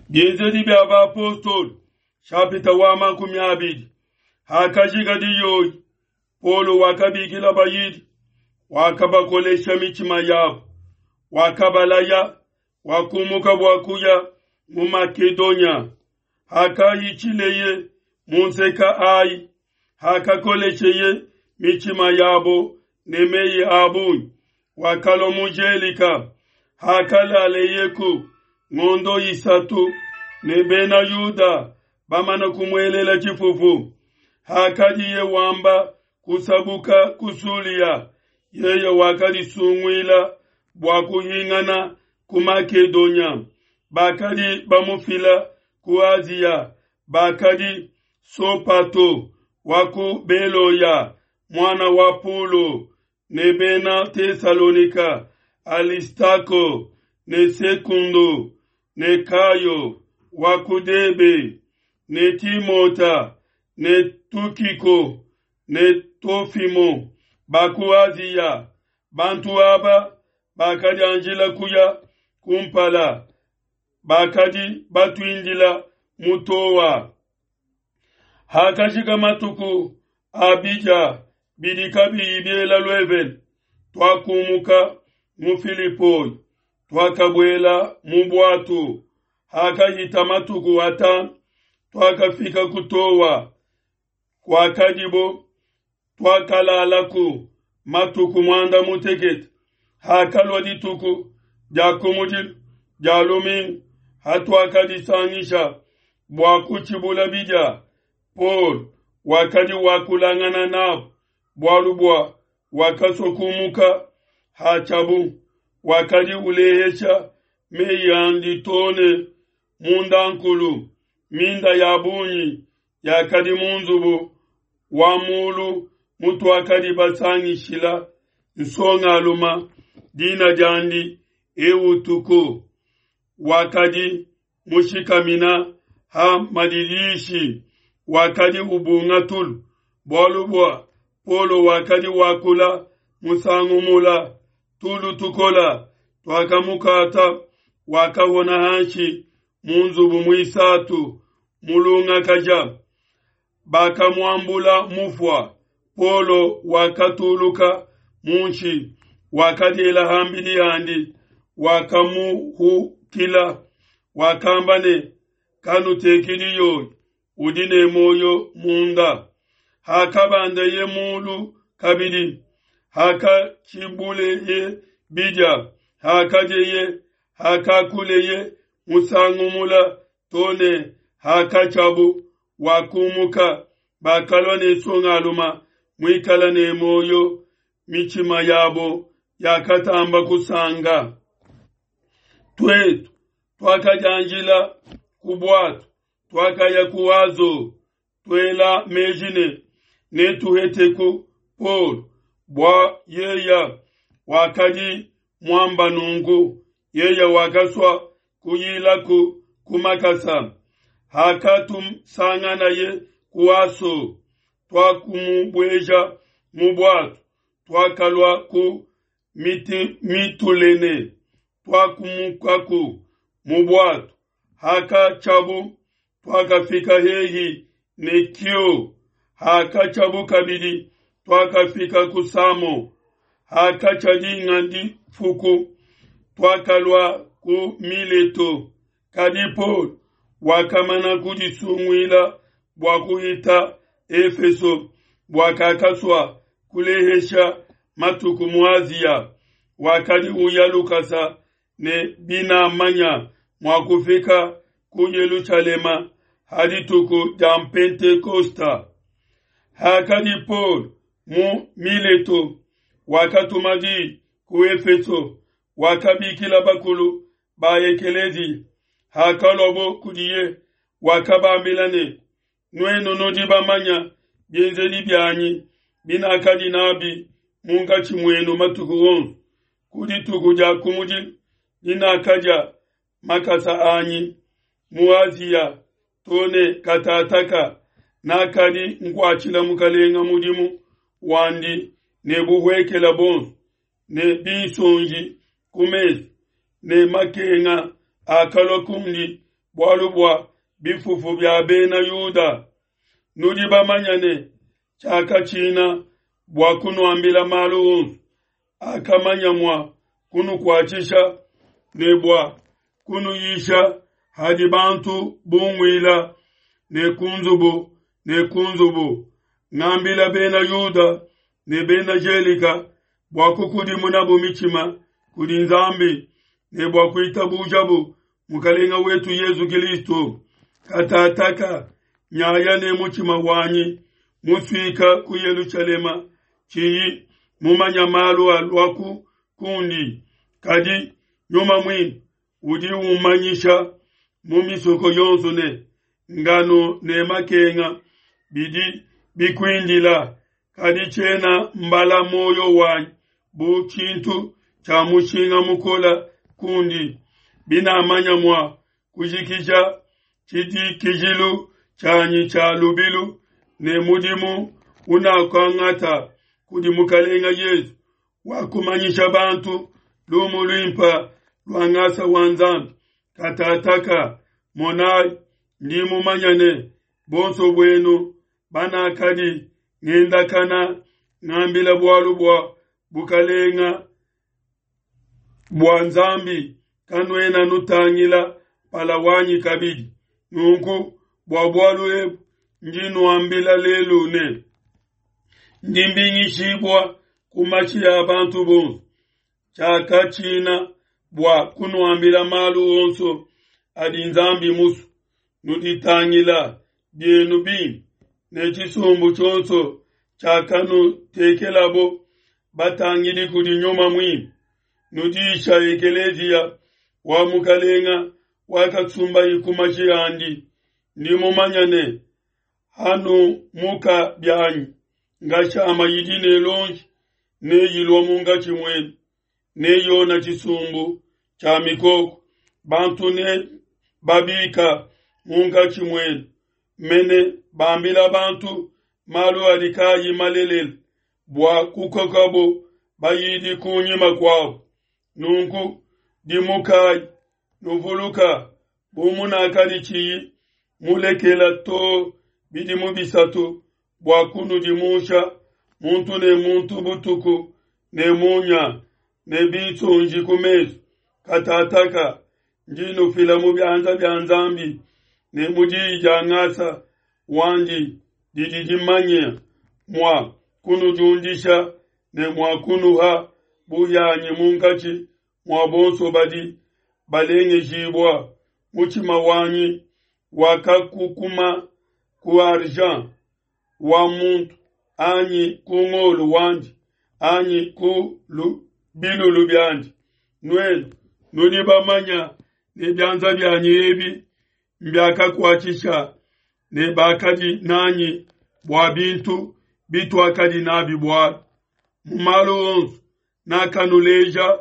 Bienzedi bia Bapostolo, shapita wa 20. Hakajika diyoyi, Paulo wakabikila bayidi, wakabakolesha mitshima yabo, wakabalaya, wakumuka bua kuya mu Makedonia. Hakahitshileye mu nseka ai, hakakolesheye mitshima yabo ne meyi a bungi, wakalua mu Gelika. Hakalaleyeku ngondo 3 ne Bena Yuda bamana kumuelela tshifufu, hakadiye wamba kusabuka ku Sulia, yeye wakadisunguila bua kuhingana ku Makedonia. Bakadi bamufila ku Asia, bakadi Sopato wa ku Beloya, mwana wa Pulo, ne Bena Tesalonika, Alistako ne Sekundo ne Kayo wa ku Debe, ne Timota ne Tukiko ne Tofimo ba ku Asia. Bantu aba bakadianjila kuya kumpala, bakadi batuindila mu Toa. Hakajika matuku a bidia bidi kabiyi biela luevene, twakumuka mu Filipoi, twakabuela mu bwatu. Hakahita matuku 5, twakafika ku Toa kwakadibo, twakalalaku matuku 18. Hakalua dituku dia kumudilu dia lumingu, hatuakadisangisha bua kutshibula bidia, Paul wakadi wakulangana nabo bualu bua wakasua kumuka hatshiabu, wakadi ulehesha meyi andi tone mundankulu. Minda ya bungi yakadi mu nzubu wa mulu mutuakadi basangishila nsongaluma, dina diandi Eutuko, wakadi mushikamina ha madidishi, wakadi ubunga tulu, bualu bua Paulo wakadi wakula musangu mula. Tulu tukola twakamukata, wakahona hanshi mu nzubu muisatu mulungakaja. Bakamuambula mufua. Paulo wakatuluka munshi, wakadiela hambidi handi, wakamuhukila, wakamba ne, kanutekidi yoyi, udi ne moyo munda. Hakabandeye mulu kabidi, hakatshibuleye bidia, hakadieye, hakakuleye musangu mula tone hakatshiabu, wakumuka. Bakalua ne nsongaluma muikala ne moyo, mitshima yabo yakatamba kusanga. Twetu twakadianjila ku bwatu, twakaya ku Azo, twela meji ne netuheteku Paul, bua yeya wakadi muamba nunku, yeya wakasua kuyilaku ku makasa. Hakatusanganaye ku Aso, twakumubueja mu bwatu, twakalua ku Mitulene, twakumukaku mu bwatu. Hakatshiabu twakafika hehi ne Kio. Hakatshiabu kabidi twakafika ku Samo. Hakatsha dinga difuku twakalua ku Mileto. Kadi Paul wakamana kudisunguila bua kuhita Efeso, bua kakasua kulehesha matuku mu Asia. Wakadi uya lukasa ne binamanya mua kufika ku Yelushalema ha dituku dia Pentekosta. Hakadi Paul mu Mileto, wakatuma di ku Efeso, wakabikila bakulu ba ekelezi. Hakaluabo kudiye, wakabambila ne, nuenu nudi bamanya bienzedi bianyi binakadi nabi munkatshi muenu matuku onso, ku dituku dia kumudilu dinakadia makasa anyi mu Asia tone katataka, nakadi nkuatshila mukalenga mudimu wandi ne buhuekela bonso, ne binsonji ku mesu, ne makenga akalua kundi. bualu bua bifufu bia bena Yuda. Nudi bamanya ne tshiakatshina bua kunuambila malu onso akamanya mua kunukuatshisha ne bua kunuyisha hadi bantu bunguila ne ku nzubu ne ku nzubu, ngambila bena Yuda ne bena Gelika bua kukudimunabu mitshima kudi Nzambi ne bua kuitabujabu Mukalenga wetu Yezu Kilisto. Katataka nyaya ne mutshima wanyi musuika ku Yelushalema, tshiyi mumanya malu aluaku kundi, kadi Nyuma Muimpe udi umanyisha mu misoko yonso ne ngano ne makenga bidi bikuindila, kadi tshiena mbala muoyo wanyi bu tshintu tshia mushinga mukole kundi, binamanya mua kujikija tshidikijilu tshianyi tshia lubilu ne mudimu unakuangata kudi Mukalenga Yezu wa kumanyisha bantu lumu luimpe lua ngasa wa Nzambi. Katataka, monayi, ndi mumanya ne bonso buenu banakadi ngendakana ngambila bualu bua bukalenga bua Nzambi, kanuena nutangila mpala wanyi kabidi. Nunku bua bualu ebu ndi nuambila lelu ne, ndi mbingishibua ku mashi a bantu bonso. Tshiakatshina bua kunuambila malu onso adi Nzambi musue. Nuditangila bienu bimpe ne tshisumbu tshionso tshiakanutekelabo batangidi kudi Nyuma Muimpe. Nudisha ekeleziya wa Mukalenga wakasumbayi ku mashi andi. Ndi mumanya ne hanumuka bianyi ngashama yidi ne lonji neyilua munkatshi muenu, neyona tshisumbu tshia mikoko. Bantu ne babika munkatshi muenu mene bambila bantu malu adi kaayi malelela bua kukokabo bayidi kunyima kuabo. Nunku dimukayi, nuvuluka bu munakadi tshiyi mulekela too bidimu bisatu bua kunudimusha muntu ne muntu butuku ne munya ne binsonji ku mesu. Katataka ndi nufila mu bianza bia Nzambi ne mu diyi dia ngasa wandi didi dimanye mua kunudiundisha ne mua kunuha buhianyi munkatshi mua bonso badi balengejibua. Mutshima wanyi wakakukuma ku argent wa muntu anyi ku ngolo wandi anyi ku bilulu biandi. Nuenu nudi bamanya ne bianza bianyi ebi mbiakakuatshisha ne bakadi nanyi bua bintu bituakadi nabi bualu. Mu malu onso nakanuleja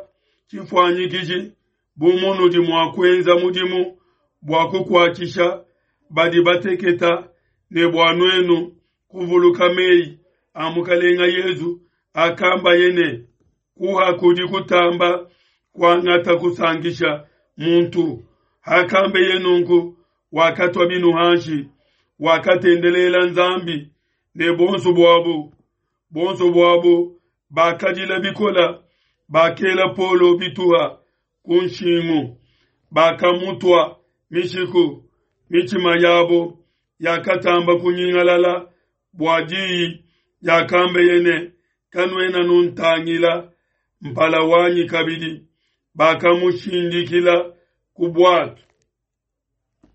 tshifuanyikiji bu munudi mua kuenza mudimu bua kukuatshisha badi bateketa ne bua nuenu kuvuluka meyi a Mukalenga Yezu akambaye ne, kuha kudi kutamba kuangata kusankisha muntu. Hakambeye nunku, wakatua binu hanshi, wakatendelela Nzambi, ne buonso buabo buonso buabo bakadila bikola, bakela Paulo bituha ku nshingu, bakamutua mishiku, mitshima yabo yakatamba kunyingalala bua diyi diakambeye ne, Kanuena nuntangila mpala wanyi kabidi. Bakamushindikila ku buatu.